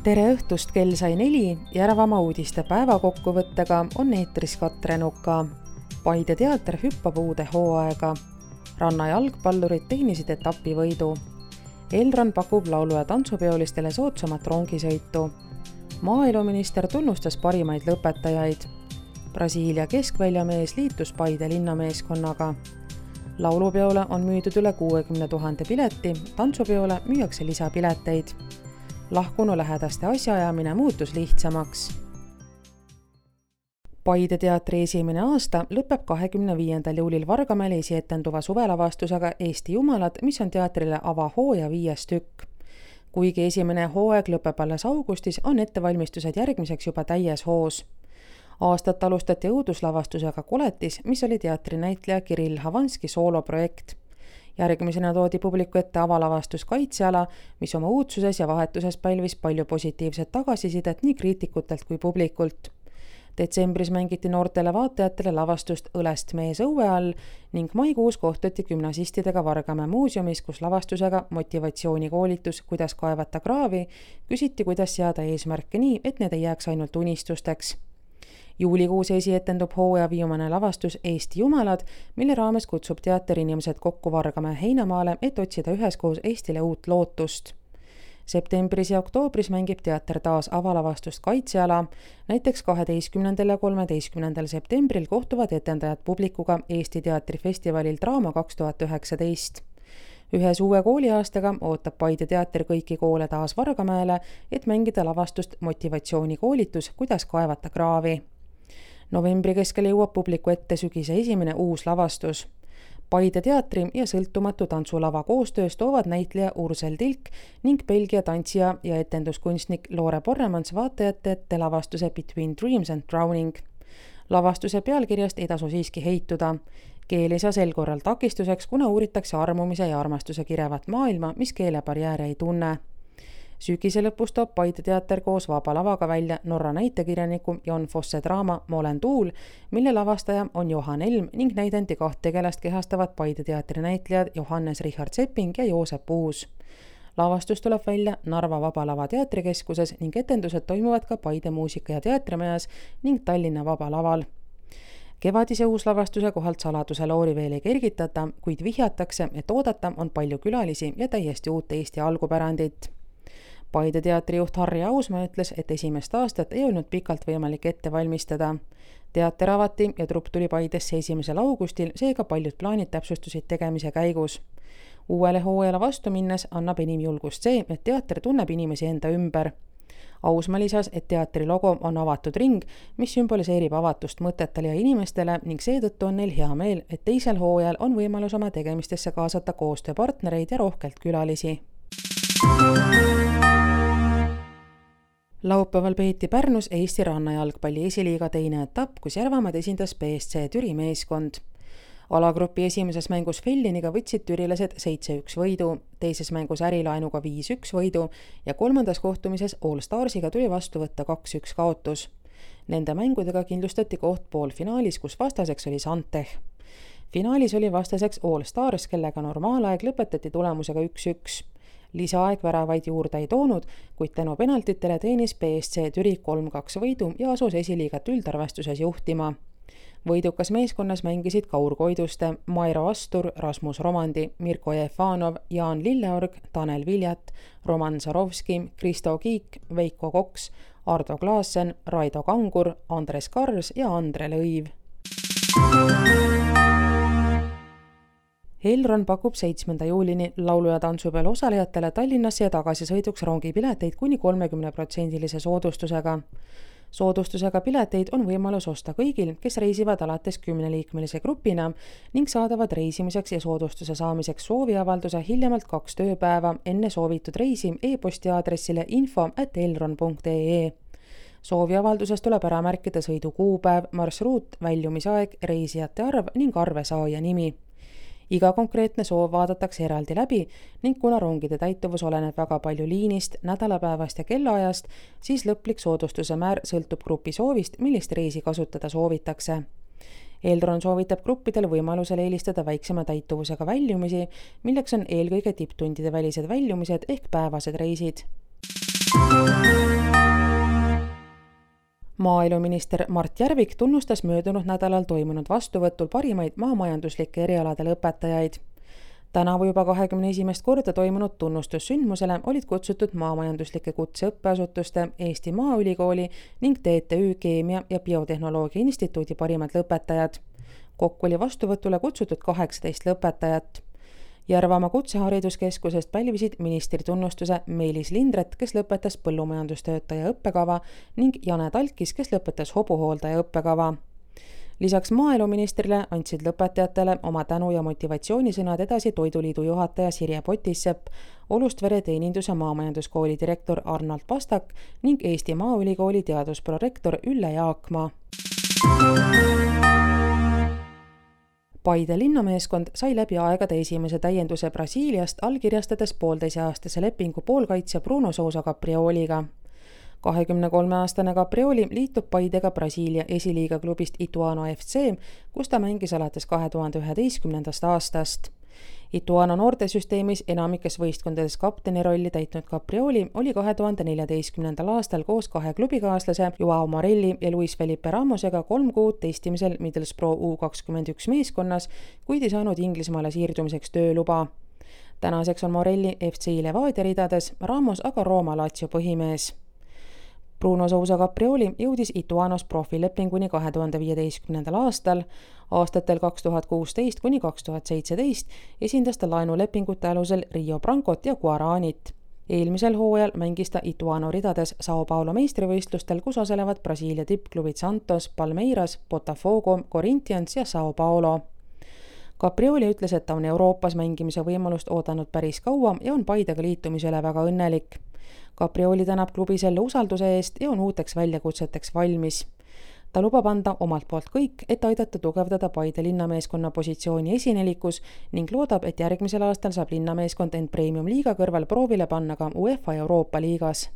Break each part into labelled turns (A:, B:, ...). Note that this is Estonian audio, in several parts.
A: Tere õhtust, kell sai 4 Järvamaa uudiste päevakokkuvõttega on eetris Katre Nuka. Paide teater hüppab uude hooaega. Ranna jalgpallurid teenisid etapivõidu. Elron pakub laulu- ja tantsupeolistele soodsamat rongisõitu. Maaeluminister tunnustas parimaid lõpetajaid. Brasiilia keskväljamees liitus Paide linnameeskonnaga. Laulupeole on müüdud üle 60 000 pileti, tantsupeole müüakse lisapileteid. Lahkunu lähedaste asjaajamine muutus lihtsamaks. Paide teatri esimene aasta lõpeb 25. juulil Vargamäel esietenduva suvelavastusega Eesti Jumalad, mis on teatrile avahooaja 5. tükk. Kuigi esimene hooaeg lõpeb alles augustis, on ettevalmistused järgmiseks juba täies hoos. Aastat alustati õuduslavastusega Koletis, mis oli teatrinäitleja Kirill Havanski sooloprojekt. Järgmisena toodi publiku ette avalavastus Kaitseala, mis oma uudsuses ja vahetuses pälvis palju positiivset tagasisidet nii kriitikutelt kui publikult. Detsembris mängiti noortele vaatajatele lavastust Õlest mees õue all ning maikuus kohtuti gümnasistidega Vargamäe muuseumis, kus lavastusega motivatsioonikoolitus, kuidas kaevata kraavi, küsiti, kuidas seada eesmärke nii, et need ei jääks ainult unistusteks. Juulikuus esietendub hooaja viimane lavastus Eesti Jumalad, mille raames kutsub teater inimesed kokku Vargamäe heinamaale, et otsida üheskoos Eestile uut lootust. Septembris ja oktoobris mängib teater taas avalavastust Kaitseala. Näiteks 12. ja 13. septembril kohtuvad etendajad publikuga Eesti teatrifestivalil Draama 2019. Ühes uue kooliaastaga ootab Paide teater kõiki koole taas Vargamäele, et mängida lavastust motivatsioonikoolitus, kuidas kaevata kraavi. Novembri keskel jõuab publiku ette sügise esimene uus lavastus. Paide teatri ja sõltumatu tantsulava koostöös toovad näitleja Ursel Tilk ning Belgia tantsija ja etenduskunstnik Loore Porremans vaatajate ette lavastuse Between Dreams and Drowning. Lavastuse pealkirjast ei tasu siiski heituda. Keel ei saa sel korral takistuseks, kuna uuritakse armumise ja armastuse kirevat maailma, mis keelebarjääre ei tunne. Sügise lõpus toob Paide teater koos Vaba lavaga välja Norra näitekirjaniku Jon Fosse draama Ma olen tuul, mille lavastaja on Johan Elm ning näidendi 2 tegelast kehastavad Paide teatri näitlejad Johannes Richard Sepping ja Joosep Uus. Lavastus tuleb välja Narva Vaba Lava teatrikeskuses ning etendused toimuvad ka Paide muusika- ja teatrimajas ning Tallinna Vaba Laval. Kevadise uuslavastuse kohalt saladuse loori veel ei kergitata, kuid vihjatakse, et oodata on palju külalisi ja täiesti uut Eesti algupärandit. Paide teatrijuht Harri Ausmaa ütles, et esimest aastat ei olnud pikalt võimalik ette valmistada. Teater avati ja trupp tuli Paidesse 1. augustil, seega paljud plaanid täpsustusid tegemise käigus. Uuele hooajale vastu minnes annab enim julgust see, et teater tunneb inimesi enda ümber. Ausmaa lisas, et teatri logo on avatud ring, mis sümboliseerib avatust mõtetele ja inimestele ning seetõttu on neil hea meel, et teisel hooajal on võimalus oma tegemistesse kaasata koostööpartnereid ja rohkelt külalisi. Laupäeval peeti Pärnus Eesti rannajalgpalli esiliiga teine etapp, kus Järvamaad esindas BSC Türi meeskond. Alagrupi esimeses mängus Felliniga võtsid türilased 7-1 võidu, teises mängus Ärilaenuga 5-1 võidu ja kolmandas kohtumises All Starsiga tuli vastu võtta 2-1 kaotus. Nende mängudega kindlustati koht poolfinaalis, kus vastaseks oli Santech. Finaalis oli vastaseks All Stars, kellega normaalaeg lõpetati tulemusega 1-1. Lisaaeg väravaid juurde ei toonud, kuid tänu penaltitele teenis BSC Türi 3-2 võidu ja asus esiliigat üldarvestuses juhtima. Võidukas meeskonnas mängisid Kaur Koiduste, Mairo Astur, Rasmus Romandi, Mirko Jefanov, Jaan Lilleorg, Tanel Viljat, Roman Sarovski, Kristo Kiik, Veiko Koks, Ardo Klaassen, Raido Kangur, Andres Kars ja Andre Lõiv. Elron pakub 7. juulini laulu- ja tantsupeol osalejatele Tallinnasse ja tagasisõiduks rongipileteid kuni 30% soodustusega. Soodustusega pileteid on võimalus osta kõigil, kes reisivad alates 10-liikmelise grupina ning saadavad reisimiseks ja soodustuse saamiseks sooviavalduse hiljemalt 2 tööpäeva enne soovitud reisi e-posti aadressile info@elron.ee. Sooviavalduses tuleb ära märkida sõidu kuupäev, marsruut, väljumisaeg, reisijate arv ning arvesaaja nimi. Iga konkreetne soov vaadatakse eraldi läbi ning kuna rongide täituvus oleneb väga palju liinist, nädalapäevast ja kellaajast, siis lõplik soodustuse määr sõltub grupi soovist, millist reisi kasutada soovitakse. Elron soovitab gruppidel võimalusel eelistada väiksema täituvusega väljumisi, milleks on eelkõige tipptundide välised väljumised ehk päevased reisid. Maaeluminister Mart Järvik tunnustas möödunud nädalal toimunud vastuvõtul parimaid maamajanduslike erialade lõpetajaid. Tänavu juba 21. korda toimunud tunnustussündmusele olid kutsutud maamajanduslike kutseõppeasutuste, Eesti Maaülikooli ning TTÜ Keemia- ja Biotehnoloogia Instituudi parimad lõpetajad. Kokku oli vastuvõtule kutsutud 18 lõpetajat. Järvamaa kutsehariduskeskusest pälvisid ministri tunnustuse Meelis Lindret, kes lõpetas põllumajandustöötaja õppekava, ning Jane Talkis, kes lõpetas hobuhooldaja õppekava. Lisaks maaeluministrile andsid lõpetajatele oma tänu- ja motivatsioonisõnad edasi Toiduliidu juhataja Sirje Potissepp, Olustvere teeninduse maamajanduskooli direktor Arnold Pastak ning Eesti Maaülikooli teadusprorektor Ülle Jaakmaa. Paide linnameeskond sai läbi aegade esimese täienduse Brasiiliast, allkirjastades 1,5-aastase lepingu poolkaitsja Bruno Sousa Caprioliga. 23-aastane Caprioli liitub Paidega Brasiilia esiliiga klubist Ituano FC, kus ta mängis alates 2011. aastast. Ituano noortesüsteemis enamikes võistkondades kapteni rolli täitnud Caprioli oli 2014. aastal koos 2 klubikaaslase Joao Morelli ja Luis Felipe Ramosega 3 kuud testimisel Middlesbrough U21 meeskonnas, kuid ei saanud Inglismaale siirdumiseks tööluba. Tänaseks on Morelli FC Levadia ridades, Ramos aga Rooma Lazio põhimees. Bruno Sousa Caprioli jõudis Ituanos profilepinguni 2015. aastal. Aastatel 2016 kuni 2017 esindas ta laenulepingute alusel Rio Brancot ja Guaranit. Eelmisel hooajal mängis ta Ituano ridades Sao Paulo meistrivõistlustel, kus osalevad Brasiilia tippklubid Santos, Palmeiras, Botafogo, Corinthians ja Sao Paulo. Caprioli ütles, et ta on Euroopas mängimise võimalust oodanud päris kaua ja on Paidega liitumisele väga õnnelik. Caprioli tänab klubi selle usalduse eest ja on uuteks väljakutseteks valmis. Ta lubab anda omalt poolt kõik, et aidata tugevdada Paide linnameeskonna positsiooni esinelikus ning loodab, et järgmisel aastal saab linnameeskond end Premium liiga kõrval proovile panna ka UEFA Euroopa liigas.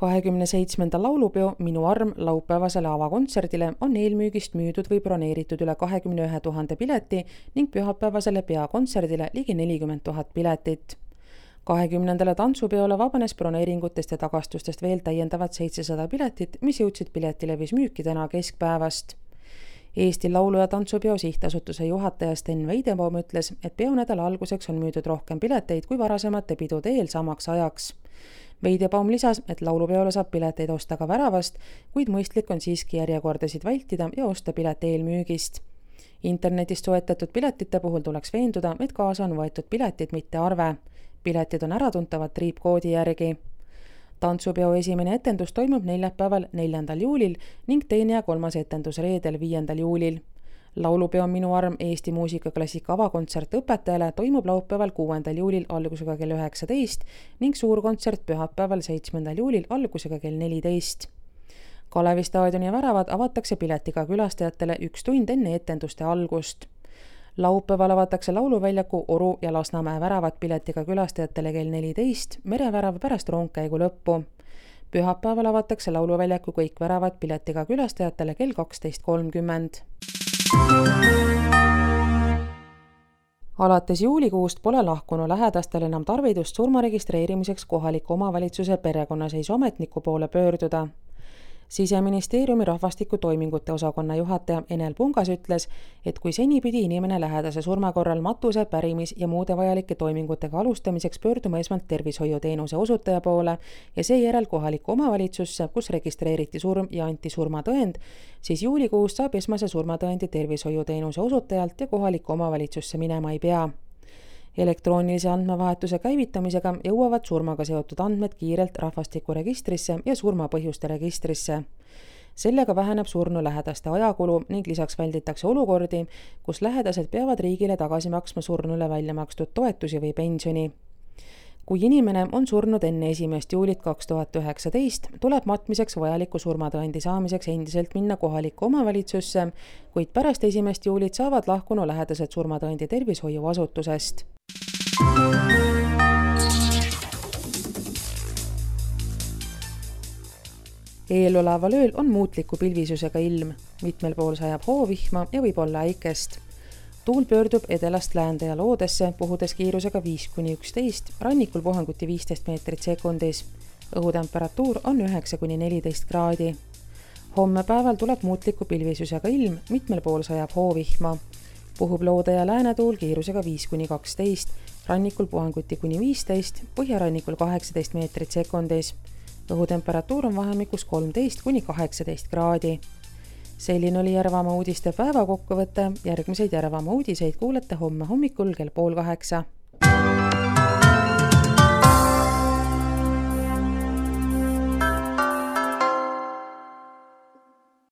A: 27. laulupeo Minu arm laupäevasele avakontserdile on eelmüügist müüdud või broneeritud üle 21 000 pileti ning pühapäevasele peakontserdile ligi 40 000 piletit. 20. tantsupeole vabanes broneeringutest ja tagastustest veel täiendavad 700 piletit, mis jõudsid piletilevis müüki täna keskpäevast. Eesti Laulu- ja Tantsupeo sihtasutuse juhataja Sten Veidebaum ütles, et peonädala alguseks on müüdud rohkem pileteid kui varasemate pidude eel samaks ajaks. Veidebaum lisas, et laulupeole saab pileteid osta ka väravast, kuid mõistlik on siiski järjekordasid vältida ja osta pilet eelmüügist. Internetist soetatud piletite puhul tuleks veenduda, et kaasa on võetud piletid, mitte arve. Piletid on äratuntavad triipkoodi järgi. Tantsupeo esimene etendus toimub neljapäeval 4. juulil ning teine ja 3. etendus reedel 5. juulil. Laulupeo Minu arm Eesti muusikaklassika avakontsert õpetajale toimub laupäeval 6. juulil algusega kell 19 ning suurkontsert pühapäeval 7. juulil algusega kell 14. Kalevi staadioni väravad avatakse piletiga külastajatele 1 tund enne etenduste algust. Laupäeval avatakse lauluväljaku Oru ja Lasnamäe väravad piletiga külastajatele kell 14, merevärav pärast rongkäigu lõppu. Pühapäeval avatakse lauluväljaku kõik väravad piletiga külastajatele kell 12.30. Alates juulikuust pole lahkunu lähedastel enam tarvidust surma registreerimiseks kohaliku omavalitsuse perekonnaseisuametniku poole pöörduda. Siseministeeriumi rahvastikutoimingute osakonna juhataja Enel Pungas ütles, et kui seni pidi inimene lähedase surma korral matuse, pärimis ja muude vajalike toimingutega alustamiseks pöörduma esmalt tervishoiuteenuse osutaja poole ja seejärel kohalikku omavalitsusse, kus registreeriti surm ja anti surmatõend, siis juulikuust saab esmase surmatõendi tervishoiuteenuse osutajalt ja kohalikku omavalitsusse minema ei pea. Elektroonilise andmevahetuse käivitamisega jõuavad surmaga seotud andmed kiirelt rahvastikuregistrisse ja surmapõhjuste registrisse. Sellega väheneb surnu lähedaste ajakulu ning lisaks välditakse olukordi, kus lähedased peavad riigile tagasi maksma surnule välja makstud toetusi või pensioni. Kui inimene on surnud enne 1. juulit 2019, tuleb matmiseks vajaliku surmatõendi saamiseks endiselt minna kohalikku omavalitsusse, kuid pärast 1. juulit saavad lahkunu lähedased surmatõendi tervishoiuasutusest. Eeloleval ööl on muutliku pilvisusega ilm, mitmel pool sajab hoovihma ja võib olla äikest. tuul pöördub edelast läände ja loodesse, puhudes kiirusega 5–11, rannikul puhanguti 15 meetrit sekundis. Õhutemperatuur on 9–14 kraadi. Homme päeval tuleb muutliku pilvisusega ilm, mitmel pool sajab hoovihma. Puhub loode ja läänetuul kiirusega 5–12, rannikul puhanguti kuni 15, põhjarannikul 18 meetrit sekundis. Õhutemperatuur on vahemikus 13–18 kraadi. Selline oli Järvamaa uudiste päevakokkuvõte. Järgmiseid Järvamaa uudiseid kuulete homme hommikul kell 7:30.